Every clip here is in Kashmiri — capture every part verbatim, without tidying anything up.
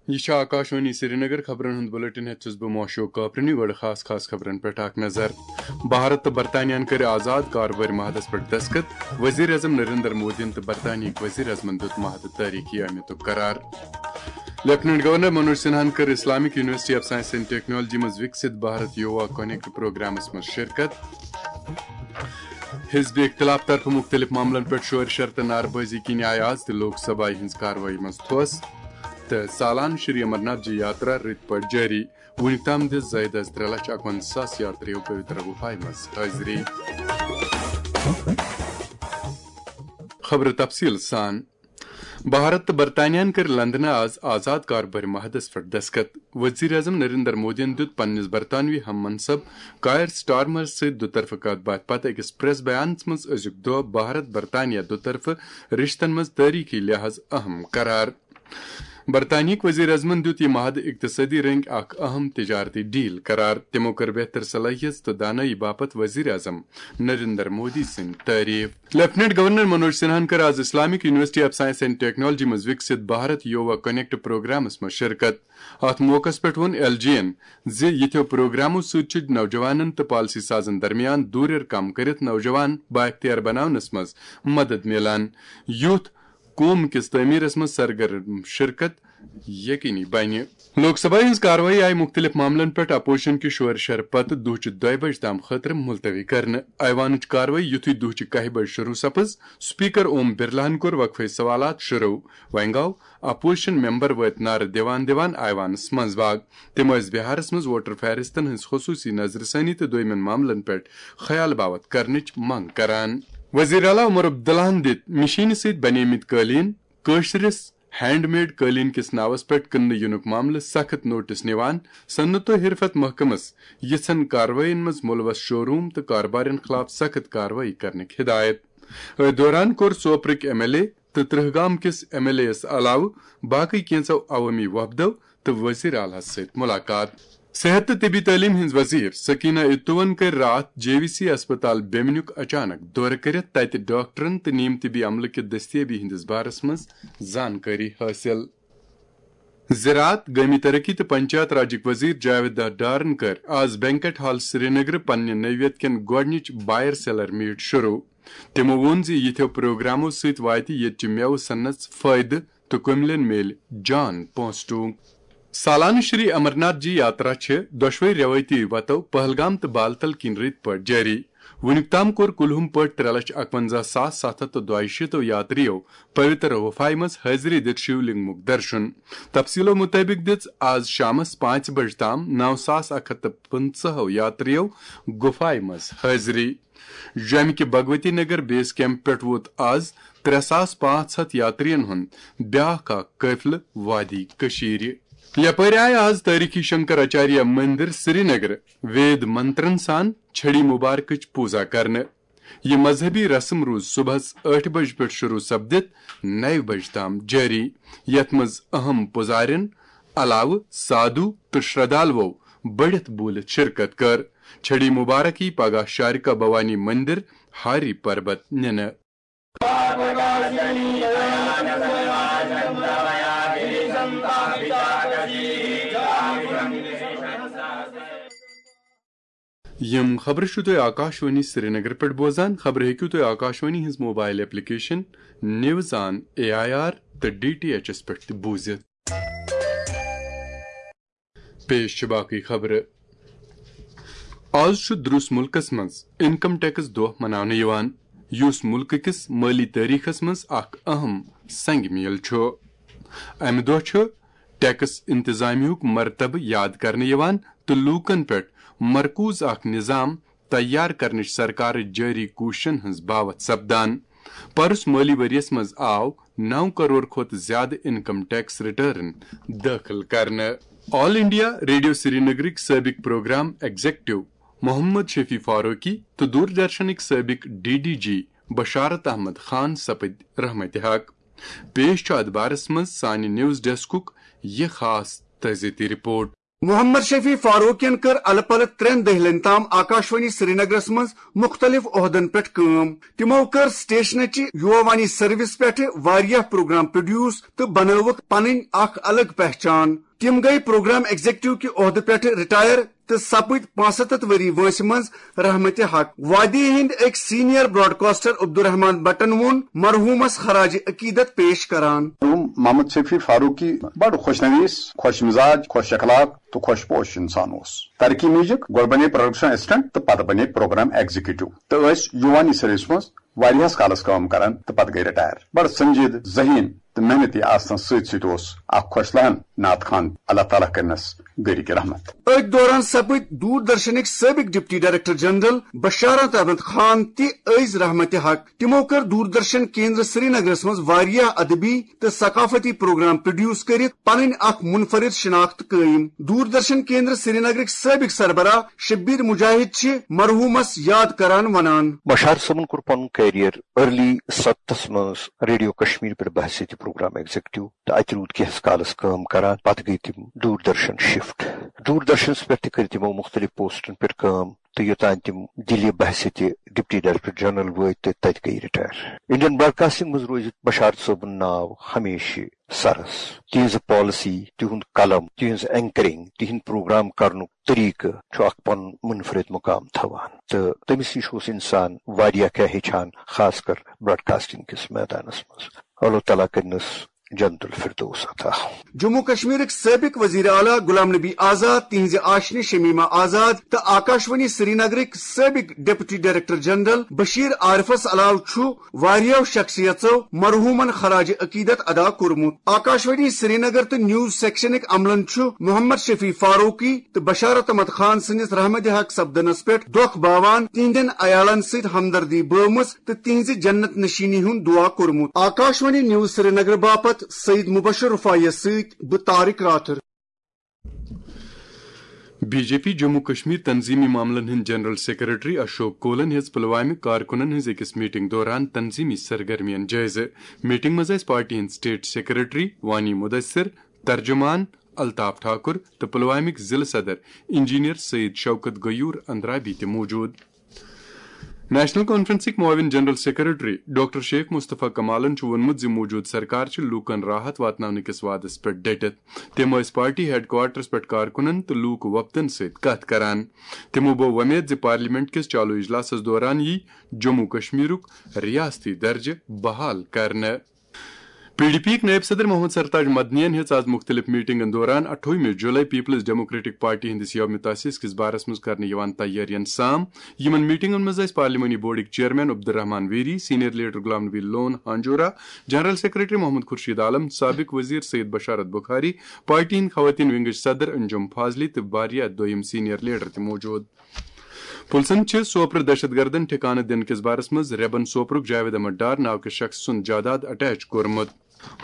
یہِ چھِ آکاشوانی سرینگر۔ خبرن ہُنٛد بلیٹن ہٮ۪تھ چھُس بہٕ موشوق کاپرنی۔ گۄڈٕ خاص خاص خبرن پٮ۪ٹھ اکھ نظر۔ بھارت تہٕ برطانیہن کٔرۍ آزاد کاربٲرۍ معاہدس پٮ۪ٹھ دستخط۔ وزیر اعظم نریندر مودیَن تہٕ برطانیہٕکۍ وزیر اعظمن دیُت معاہدٕ تٲریخی اہمیتُک قرار۔ لیفٹیننٹ گورنر منوج سنہاہن کٔر Islamic university of science and technology منٛز وکسِت بھارت یووا کنیکٹ پروگرامس منٛز شرکت۔ حزب اختلاف طرفہٕ مختلف معاملن پٮ۪ٹھ شور شر تہٕ نعرٕ بٲزی کِنۍ آیہِ آز تہِ لوک سبھایہِ ہٕنٛز کاروٲیی منٛز تھوس۔ تہٕ سالانہٕ شری امرناتھ جی یاترا رٕتۍ پٲٹھۍ جٲری۔ وُنیُک تام دِژ زٲیدٕ از ترٛےٚ لچھ اَکوَنزاہ ساس یاترِیو پویتر گُفایہِ منٛز حٲضری۔ خبرٕ تفصیٖل سان۔ بھارت تہٕ برطانیہن کٔرۍ لندنہٕ آز آزاد کاربٲرۍ معاہدس پٮ۪ٹھ دستخط۔ وزیر اعظم نریندر مودیَن دیُت پننِس برطانوی ہم منصب کائر سٹارمر سۭتۍ دُطرفہٕ کتھ باتھ پتہٕ أکِس پریس بیانس منٛز أزیُک دۄہ بھارت برطانیہ دُطرفہٕ رشتن منٛز تٲریخی لحاظ اہم قرار۔ برطانیہٕکۍ وزیر اعظمن دیُت یہِ معاہدٕ اقتصٲدی رٔنگۍ اکھ اہم تجارتی ڈیل قرار۔ تِمو کٔر بہتر صلٲحیژ تہٕ دانٲیی باپتھ وزیر اعظم نریندر مودی سٕنٛدۍ تعریف۔ لیفٹیننٹ گورنر منوج سنہاہن کٔر آز Islamic university of science and technology منٛز وکسِت بھارت یووا کنیکٹ پروگرامس منٛز شرکت۔ اتھ موقعس پٮ۪ٹھ ووٚن ایل جی یَن زِ یِتھیو پروگرامو سۭتۍ چھِ نوجوانن تہٕ پالیسی سازن درمیان دوٗریر کم کٔرِتھ نوجوان بااختیار بناونس منٛز مدد میلان، یُتھ قوم کِس تعمیرس منٛز سرگرم شرکت یقینی بنہِ۔ لوک سبھا ہٕنٛز کاروٲیی آیہِ مُختٔلِف معاملن پٮ۪ٹھ اپوزیشن کہِ شورٕ شرٕ پتہٕ دُہچہِ دۄیہِ بجہِ تام خٲطرٕ ملتوی کرنہٕ۔ ایوانٕچ کاروٲیی یُتھُے دُہچہِ کاہہِ بجہِ شروع سپٕز، سپیکر اوم برلاہن کوٚر وقفے سوالات شروع۔ وۄنۍ گوٚو اپوزیشن ممبر وٲتۍ نعرٕ دِوان دِوان ایوانس منٛز باگ۔ تِم ٲسۍ بہارس منٛز ووٹر فہرستن ہٕنٛز خصوٗصی نظرثانی تہٕ دویمٮ۪ن معاملن پٮ۪ٹھ خیال باوتھ کرنٕچ منٛگ کران۔ وزیر اعلیٰ عمر عبداللہن دِتۍ مِشیٖنہِ سۭتۍ بنیمٕتۍ قٲلیٖن کٲشرِس ہینڈ میڈ قٲلیٖن کِس ناوس پٮ۪ٹھ کٕننہٕ یِنُک معاملہٕ سخت نوٹس نِوان صنعت و حرفت محکمس یِژھن کاروٲیین منٛز ملوث شو روم تہٕ کاربارین خلاف سخت کاروٲیی کرنٕکۍ ہدایت۔ أتھۍ دوران کوٚر سوپرٕکۍ ایم ایل اے تہٕ ترہگام کِس ایم ایل اے یَس علاوٕ باقٕے کینٛژو عوٲمی وفدو تہٕ وزیر اعلیٰ ہَس سۭتۍ ملاقات۔ صحت تہٕ طبی تعلیٖم ہٕنٛز وزیر سکینہ اتوَن کٔر راتھ جے وی سی اسپتال بیمنیُک اچانک دورٕ کٔرِتھ تَتہِ ڈاکٹرن تہٕ نیم طبی عملہٕ کہِ دٔستیٲبی ہٕنٛدِس بارس منٛز زانکٲری حٲصِل۔ زراعت، گٲمی ترقی تہٕ پنچایت راجٕکۍ وزیر جاوید ڈارن کٔر آز بینکٹ ہال سرینگرٕ پننہِ نٔویت کٮ۪ن گۄڈٕنِچ بائر سیلر میٹ شروع۔ تِمو ووٚن زِ یِتھیو پروگرامو سۭتۍ واتہِ ییٚتہِ چہِ مٮ۪وٕ صنعتس فٲیدٕ تہٕ کُملٮ۪ن میلہِ جان پونٛسہٕ ٹونگ۔ سالانہٕ شری امرناتھ جی یاترا چھِ دۄشوے روایتی وتو پہلگام تہٕ بالتل کِنۍ رٕتۍ پٲٹھۍ جٲری۔ وُنیُک تام کوٚر کُلہُم پٲٹھۍ ترٛےٚ لچھ اَکوَنزاہ ساس ستھ ہَتھ تہٕ دۄیہِ شیٖتو یاترِیو پویتر گُفایہِ منٛز حٲضری دِتھ شیو لنگمُک درشن۔ تفصیلو مُطٲبِق دِژ آز شامس پانٛژِ بجہِ تام نو ساس اکھ ہَتھ تہٕ پٕنٛژٕہو یاترِیو گُفایہِ منٛز حٲضری۔ جوٚمہِ کہِ بھگوتی نگر بیس کیمپ پٮ۪ٹھ ووت آز ترٛےٚ ساس پانٛژھ ہَتھ یاترین ہُنٛد بیاکھ اکھ قٲفلہٕ وادی کٔشیٖرِ۔ یپٲرۍ آیہِ آز تٲریخی شنکر آچاریہ مندر سرینگر وید منترن سان چھڑی مبارکٕچ پوزا کرنہٕ۔ یہِ مذہبی رسم روٗز صبحس ٲٹھِ بجہِ پٮ۪ٹھ شروع سپدِتھ نَیہِ بجہِ تام جٲری، یتھ منٛز اہم پُزارٮ۪ن علاوٕ سادھو تہٕ شردھالوو بٔڑِتھ بوٗلِتھ شرکت کٔر۔ چھڑی مبارک یی پگاہ شارکا بھوانی مندر ہاری پربت نِنہٕ۔ یِم خبرٕ چھِو تُہۍ آکاشوانی سرینگر پٮ۪ٹھ بوزان۔ خبرٕ ہیٚکِو تُہۍ آکاشوانی ہٕنٛز mobile application news on A I R تہٕ ڈی ٹی ایچ ایس پٮ۪ٹھ تہِ بوٗزِتھ۔ پیش چھِ باقٕے خبرٕ۔ آز چھُ درُس مُلکَس منٛز انکم ٹیکس دۄہ مناونہٕ یِوان، یُس مُلکہٕ کِس مٲلی تٲریخس منٛز اکھ اہم سنگ میل چھُ۔ امہِ دۄہ چھُ ٹیکس انتظامیہُک مرتبہٕ یاد کرنہٕ یِوان تہٕ لوٗکن پٮ۪ٹھ مرکوز اکھ نظام تیار کرنٕچ سرکارٕچ جٲری کوٗششن ہٕنٛز باوتھ سپدان۔ پرُس مٲلی ؤریَس منٛز آو نو کرور کھۄتہٕ زِیٛادٕ انکم ٹیکس ریٹرن دٲخل کرنہٕ۔ آل انڈیا ریڈیو سرینگرٕکۍ سٲبِق پروگرام ایگزیکٹو محمد شفیع فاروقی تہٕ دوردرشنٕکۍ سٲبِق ڈی ڈی جی بشارت احمد خان سپٕدۍ رحمتِ حق۔ پیش چھُ اتھ بارس منٛز سانہِ نیوز ڈیسکُک یہِ خاص تعزیتی رپورٹ۔ محمد شفیع فاروقین کٔر الہٕ پلہٕ ترٛٮ۪ن دٔہلن تام آکاشوانی سرینگرس منٛز مُختٔلِف عہدن پٮ۪ٹھ کٲم۔ تِمو کٔر سٹیشنٕچہِ یووانی سروس پٮ۪ٹھ واریاہ پروگرام پروڈیوس تہٕ بنٲوٕکھ پنٕنۍ اکھ الگ پہچان۔ تِم گٔیہِ پروگرام ایگزیکٹو کہِ عہدٕ پٮ۪ٹھ رٹائر تہٕ سپٕدۍ پانٛژستتھ ؤری وٲنٛسہِ منٛز رحمت حق۔ وادی ہٕنٛدۍ أکۍ سینئر براڈکاسٹر عبدالرحمان بٹن ووٚن مرحومس خراج عقیدت پیش کران۔ مرحوم محمد شفیع فاروقی بڑ خوش نویس، خوش مزاج، خوش اخلاق تہٕ خوش پوش انسان اوس۔ ترقی میوزک گۄڈٕ بنے پروڈکشن اسسٹنٹ تہٕ پتہٕ بنے پروگرام ایگزیکٹو تہٕ ٲسۍ یووانی سروس منٛز واریاہس کالس کٲم کران تہٕ پتہٕ گٔے رٹائر۔ بڑٕ سنجیدٕ، ذہین تہٕ محنتی آسنس سۭتۍ سۭتۍ اوس اکھ خۄش لہن نعت خوان۔ اللہ تعالیٰ کرنس گرِک رحمت۔ أتھۍ دوران سپٕدۍ دوردرشنٕکۍ سٲبق ڈپٹی ڈائریکٹر جنرل بشارت احمد خان تہِ ٲسۍ رحمت حق۔ تِمو کٔر دوردرشن کیندر سرینگرس منٛز واریاہ ادبی تہٕ ثقافتی پروگرام پروڈیوس کٔرِتھ پنٕنۍ اکھ منفرد شناخت قٲیم۔ دوردرشن کیندر سرینگرٕکۍ سٲبق سربراہ شبیر مجاہد چھِ مرحومس یاد کران ونان۔ بشار صٲبن کوٚر پنُن کیریئر ارلی ستتھس منٛز ریڈیو کشمیر پٮ۪ٹھ بحثیت پروگرام ایگزیکٹو تہٕ اتہِ روٗد کینٛہس کالس کٲم کران۔ پتہٕ گٔے تِم دوردرشن شفٹ۔ دوردرشنس پٮ۪ٹھ تہِ کٔر تِمو مختلف پوسٹن پٮ۪ٹھ کٲم تہٕ یوٚتام تِم دِلہِ بحثیت ڈپٹی ڈائریکٹر جنرل وٲتۍ تہٕ تتہِ گٔے رٹائر۔ انڈین براڈکاسٹنگ منٛز روزِ بشار صٲبُن ناو ہمیشہِ سرس۔ تِہنٛز پالیسی، تِہُنٛد قلم، تِہنٛز اینکرنگ، تِہنٛد پروگرام کرنُک طریقہٕ چھُ اکھ پنُن منفرد مقام تھاوان۔ تہٕ تٔمِس نِش اوس انسان واریاہ کینٛہہ ہیٚچھان، خاص کر براڈکاسٹنگ کِس میدانس منٛز۔ اللہ تعالیٰ کٔرنَس جنت الفردوس عطا۔ جموں کشمیرٕکۍ سٲبق وزیر اعلیٰ غلام نبی آزاد، تِہنٛزِ آشنہِ شمیمہ آزاد تہٕ آکاشوانی سرینگرٕکۍ سٲبق ڈپٹی ڈائریکٹر جنرل بشیر عارفس علاوٕ چھُ واریاہو شخصیژو مرحومن خراج عقیدت ادا کوٚرمُت۔ آکاشوانی سرینگر تہٕ نیوز سیکشنٕکۍ عملن چھُ محمد شفیع فاروقی تہٕ بشارت احمد خان سٕنٛدِس رحمت حق سپدنس پٮ۪ٹھ دۄکھ باوان تِہنٛدٮ۪ن عیالن سۭتۍ ہمدردی بٲومٕژ تہٕ تِہنٛزِ جنت نشینی ہُنٛد دعا کوٚرمُت۔ آکاشوانی نیوز سرینگر باپتھ سعید مبشر رفاعیس سۭتۍ بہٕ Tariq Rather. B J P Jammu Kashmir تنظیمی معاملن ہٕنٛدۍ جنرل سیکرٹری اشوک کولن ہیٚژ پلوامہِ کارکنن ہٕنٛز أکِس میٹنگ دوران تنظیمی سرگرمین جٲیزٕ۔ میٹنگ منٛز ٲسۍ پارٹی ہٕنٛدۍ اسٹیٹ سیکرٹری وانی مدثر، ترجمان الطاف ٹھاکر تہٕ پلوامٕکۍ ضلع صدر انجینئر سید شوکت غیور اندرابی تہِ موجود۔ نیشنل کانفرنسٕکۍ معاون جنرل سیکرٹری ڈاکٹر شیخ مصطفیٰ کمالن چھُ ووٚنمُت زِ موجودٕ سرکار چھِ لوٗکَن راحت واتناونہٕ کِس وعدَس پٮ۪ٹھ ڈٔٹِتھ۔ تِم ٲسۍ پارٹی ہیڈ کوارٹرَس پٮ۪ٹھ کارکُنَن تہٕ لوٗکہٕ وۄپدَن سۭتۍ کَتھ کران۔ تِمَو بوو وۄمید زِ پارلیمنٹ کِس چالو اجلاسَس دوران یِیہِ جموں کشمیرُک ریاستی درجہٕ بحال کرنہٕ۔ پی ڈی پی یِک نائب صدر محمد سرتاج مدنین ہیٚژ آز مُختٔلِف میٹنگن دوران اَٹھووُہمہِ جولائی پیپلز ڈیموکریٹک پارٹی ہٕنٛدِس یوم تاسیس کِس بارس منٛز کرنہٕ یِوان تیٲرین سام۔ یِمن میٹنگن منٛز ٲسۍ پارلیمانی بورڈٕکۍ چیئرمین عبدالرحمان ویری، سینئر لیڈر غلام نبی لون ہانجورا، جنرل سیکرٹری محمد خورشید عالم، سابق وزیر سید بشارت بخاری، پارٹی ہٕنٛدۍ خواتین ونگٕچ صدر انجم فاضلی تہٕ واریاہ دوٚیم سینئر لیڈر تہِ موجود۔ پُلسن چھِ سوپرٕ دہشت گردن ٹھکانہٕ دِنہٕ کِس بارس منٛز ریبن سوپرُک جاوید احمد ڈار ناو کِس شخص سُنٛد جائیداد اٹیچ کوٚرمُت۔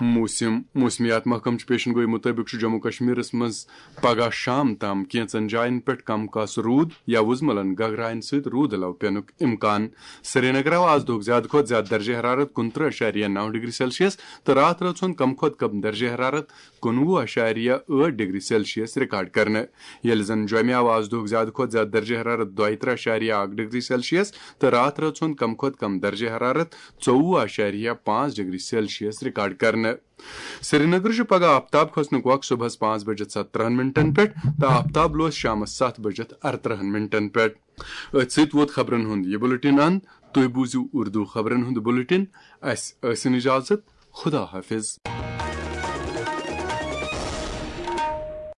موسم، موسمیات محکمہٕ چہِ پیشن گوئی مُطٲبِق چھُ جموں کشمیرس منٛز پگہہ شام تام کینٛژن جاین پٮ۪ٹھ کم کاسہٕ روٗد یا وُزملن گگراین سۭتۍ روٗد علاوٕ پینُک امکان۔ سرینگر آو آز دۄہُک زیادٕ کھۄتہٕ زیادٕ درجہ حرارت کُنترٕہ اعشاریہ نو ڈگری سیلسیس تہٕ راتھ رٲژ ہُنٛد کم کھۄتہٕ کم درجہ حرارت کُنوُہ اعشاریہ ٲٹھ ڈگری سیلسیس ریکارڈ کرنہٕ، ییٚلہِ زن جوٚمہِ آو آز دۄہُک زیادٕ کھۄتہٕ زیادٕ درجہ حرارت دۄیہِ ترٕہ اعشاریہ اکھ ڈگری سیلسیس تہٕ راتھ رٲژ ہُنٛد کم کھۄتہٕ کم درجہ حرارت ژوٚوُہ اعشاریہ پانٛژھ ڈگری سیلسیس ریکارڈ کرنہٕ۔ سرینگر چھُ پگہہ آفتاب کھسنُک وق صبحس پانٛژھ بجہِ ستترہن منٹن پٮ۪ٹھ تہٕ آفتاب لوس شامس ستھ بجہِ ارترہن منٹن پٮ۪ٹھ۔ أتھۍ سۭتۍ ووت خبرن ہُنٛد یہِ بُلٹن اند۔ تُہۍ بوٗزِو اردو خبرن ہُنٛد بُلٹن۔ اسہِ ٲسِن اجازت۔ خدا حافظ۔